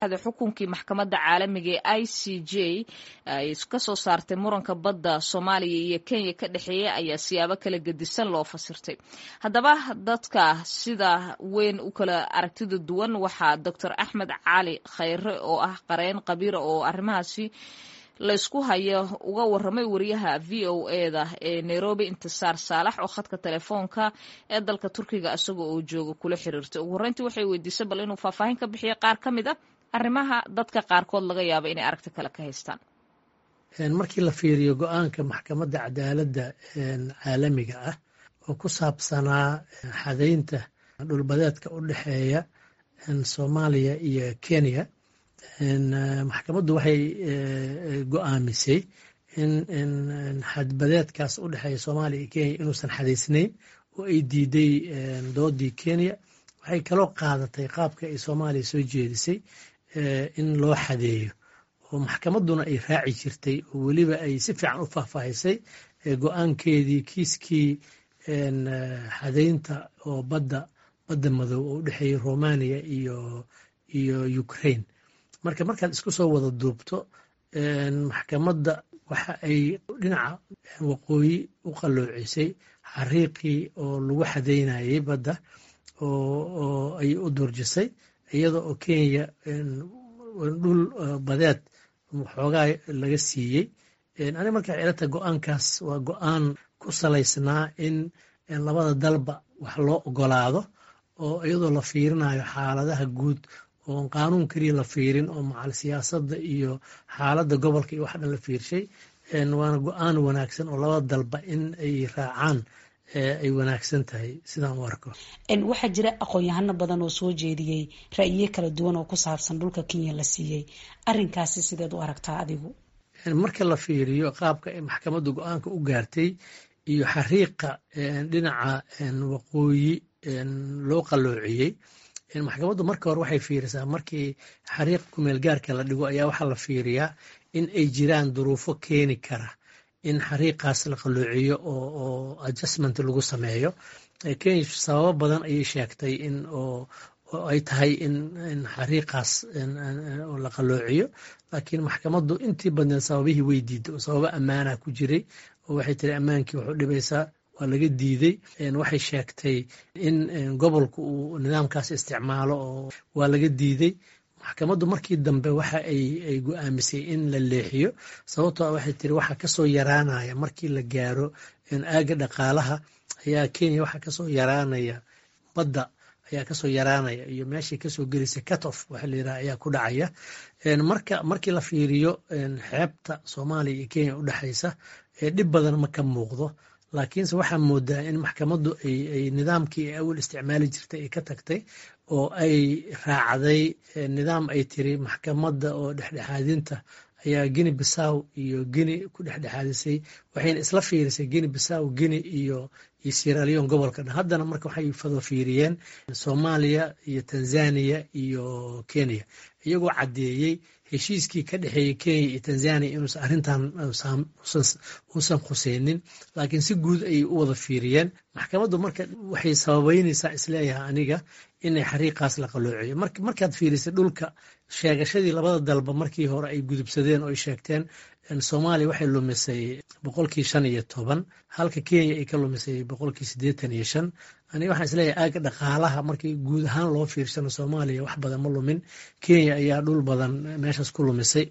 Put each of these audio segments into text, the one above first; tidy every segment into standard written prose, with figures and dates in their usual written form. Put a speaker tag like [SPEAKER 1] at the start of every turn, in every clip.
[SPEAKER 1] Xukunkii maxkamadda caalamiga ee ICJ ay ka soo saartay muranka badda Soomaaliya iyo Kenya ka dhexeeya ayaa siyaabo kala gedisan loo fasirtay. Haddaba, dadka sida weyn u kala aragtida duwan waxaa Doctor Axmed Cali Khayre, oo ah qareen khabiira oo arrimahaasi laysku hayo, uga waramay wariyaha VOA-da ee Nairobi, Intisaar Saalax, oo khadka telefoonka ee dalka Turkiga isaga oo jooga kula xiriirtay. Ugu horreyntii waxay weydiisay bal inuu faahfaahin ka bixiyo qaar ka mid a arrimaha dadka qaarkood laga yaabo inay aragti kale ka haystaan.
[SPEAKER 2] Markii la fiiriyo go-aanka Maxkamadda Cadaaladda Caalamiga ah oo ku saabsanaa xadaynta dhulbadeedka u dhexeeya Soomaaliya iyo Kenya, maxkamaddu waxay go-aamisay in xadbadeedkaas u dhexeeya Soomaaliya iyo Kenya inuusan xadaysnayn, oo ay diiday doodii Kenya. Waxay kaloo qaadatay qaabka ay Soomaaliya soo jeedisay in loo xadeeyo, oo maxkamadduna ay raaci jirtay, oo weliba ay si fiican u faahfaahisay go-aankeedii kiiskii xadaynta oo badda madow oo u dhexeeyey Romania iyo Ukraine. Marka markaad isku soo wada duubto, maxkamadda waxa ay dhinaca waqooyi u qalloocisay xariiqii oo lagu xadeynayay badda, oo ay u durjisay, iyada oo Kenya dhul badeed xoogaa laga siiyey. Ani marka waxay ila tahay go-aankaas waa go-aan ku salaysnaa in labada dalba wax loo ogolaado, oo iyadoo la fiirinayo xaaladaha guud, oon qaanuun keliya la fiirin, oo macal siyaasadda iyo xaaladda gobolka iyo wax dhan la fiirshay. Waana go-aan wanaagsan oo labada dalba in ay raacaan ay wanaagsan tahay, sidaan u arko.
[SPEAKER 3] Waxaa jira aqoon-yahano badan oo soo jeediyey ra'yiyo kala duwan oo ku saabsan dhulka Kenya la siiyey. Arrinkaasi sideed u aragtaa adigu?
[SPEAKER 2] Marka la fiiriyo qaabka ay maxkamaddu go-aanka u gaartay iyo xariiqa dhinaca waqooyi loo qalloociyey, maxkamaddu marka hore waxay fiirisaa, markii xariiq kumeel gaarka la dhigo ayaa waxaa la fiiriyaa in ay jiraan duruufo keeni kara in xariiqaas la qalloociyo oo adjustment lagu sameeyo. Kenya sababo badan ayay sheegtay in oo ay tahay in xariiqaas la qalloociyo, laakiin maxkamaddu intii badneed sababihii way diiday, oo sababo ammaana ku jiray, oo waxay tiri ammaankii wuxuu dhibaysaa, waa laga diiday. Waxay sheegtay in gobolku uu nidaamkaas isticmaalo, oo waa laga diiday. Maxkamaddu markii dambe waxa ay go-aamisay in la leexiyo, sababtoo ah waxay tiri waxa kasoo yaraanaya markii la gaaro aagga dhaqaalaha ayaa Kenya waxa kasoo yaraanaya, badda ayaa kasoo yaraanaya, iyo meeshii kasoo gelisay cut off waxa la yiraha ayaa ku dhacaya. Marka markii la fiiriyo xeebta Soomaaliya iyo Kenya u dhexaysa, dhib badan ma ka muuqdo, laakiinse waxaa moodaa in maxkamaddu ay nidaamkii ay awal isticmaali jirtay ay ka tagtay, oo ay raacday nidaam ay tiri maxkamadda oo dhexdhexaadinta ayaa Guinea Bissau iyo Guinea ku dhexdhexaadisay, waxayna isla fiirisay Guinea Bissau, Guinea iyo Sierra Leone, gobolka dhan. Haddana marka waxay fado fiiriyeen Soomaaliya iyo Tanzania iyo Kenya, iyagoo caddeeyey heshiiskii ka dhexeeyey Kenya iyo Tanzania inuusan arrintan uusan khuseynin, laakiin si guud ayay u wada fiiriyeen maxkamaddu. Marka waxay sababeynaysaa, isleeyahay aniga, inay xariiqaas la qalloociyo. Markaad fiirisay dhulka sheegashadii labada dalba markii hore ay gudubsadeen oo ay sheegteen, Soomaaliya waxay lumisay 15%, halka Kenya ay ka lumisay 85%. Aniga waxaan isleeyahay aagga dhaqaalaha markii guud ahaan loo fiirsano, Soomaaliya wax badan ma lumin, Kenya ayaa dhul badan meeshaas ku lumisay.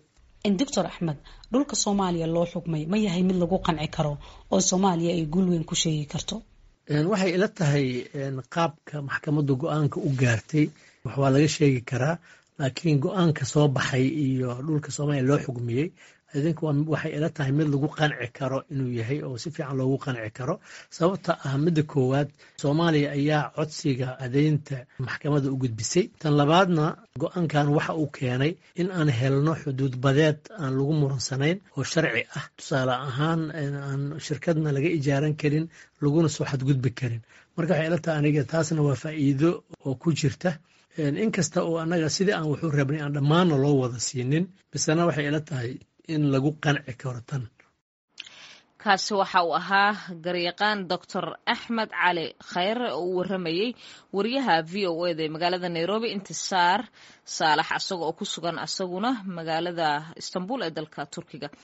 [SPEAKER 3] Doctor Axmed, dhulka Soomaaliya loo xukmay ma yahay mid lagu qanci karo oo Soomaaliya ay guul weyn ku sheegi karto?
[SPEAKER 2] Waxay ila tahay qaabka maxkamaddu go-aanka u gaartay wax waa laga sheegi karaa, laakiin go-aanka soo baxay iyo dhulka Soomaaliya loo xugmiyey idinku waxay ila tahay mid lagu qanci karo inuu yahay, oo si fiican loogu qanci karo. Sababta ah, midda koowaad, Soomaaliya ayaa codsiga adeynta maxkamadda u gudbisay. Tan labaadna, go-aankan waxa uu keenay in aan helno xuduud badeed aan lagu muransanayn oo sharci ah, tusaale ahaan aan shirkadna laga ijaaran karin, laguna soo xadgudbi karin. Marka waxay ila tahay aniga taasna waa faa'iido oo ku jirta, inkasta oo annaga sidii aan waxu rabnay aan dhammaanna loo wada siinin, misena waxay ila tahay in lagu qanci karo tan.
[SPEAKER 1] Kaasi waxa uu ahaa garyaqaan Doctor Axmed Cali Khayre oo u waramayey wariyaha VOA da ee magaalada Nairobi, Intisaar Saalax, asaga oo ku sugan asaguna magaalada Istanbul ee dalka Turkiga.